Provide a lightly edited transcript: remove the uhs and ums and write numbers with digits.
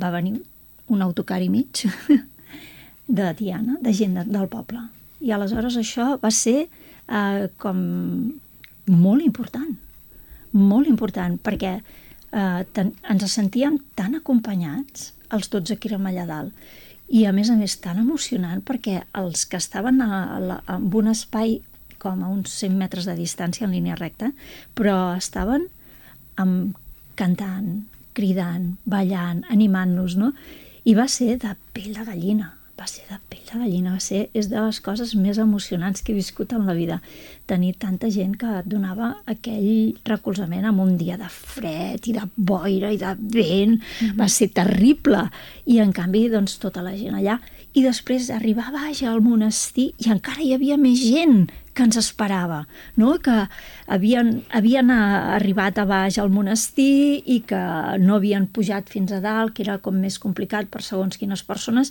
va venir un autocar i mig de Tiana, de gent del poble. I aleshores això va ser com molt important, perquè ens sentíem tan acompanyats, els 12 que érem allà dalt, i a més tan emocionant, perquè els que estaven en un espai com a uns 100 metres de distància en línia recta, però estaven cantant, cridant, ballant, animant-nos, no? I va ser de pell de gallina, és de les coses més emocionants que he viscut en la vida. Tenir tanta gent que et donava aquell recolzament en un dia de fred i de boira i de vent, va ser terrible. I en canvi, doncs, tota la gent allà. I després arribar a baix al monestir i encara hi havia més gent que ens esperava, no? Que havien arribat a baix al monestir i que no havien pujat fins a dalt, que era com més complicat per segons quines persones,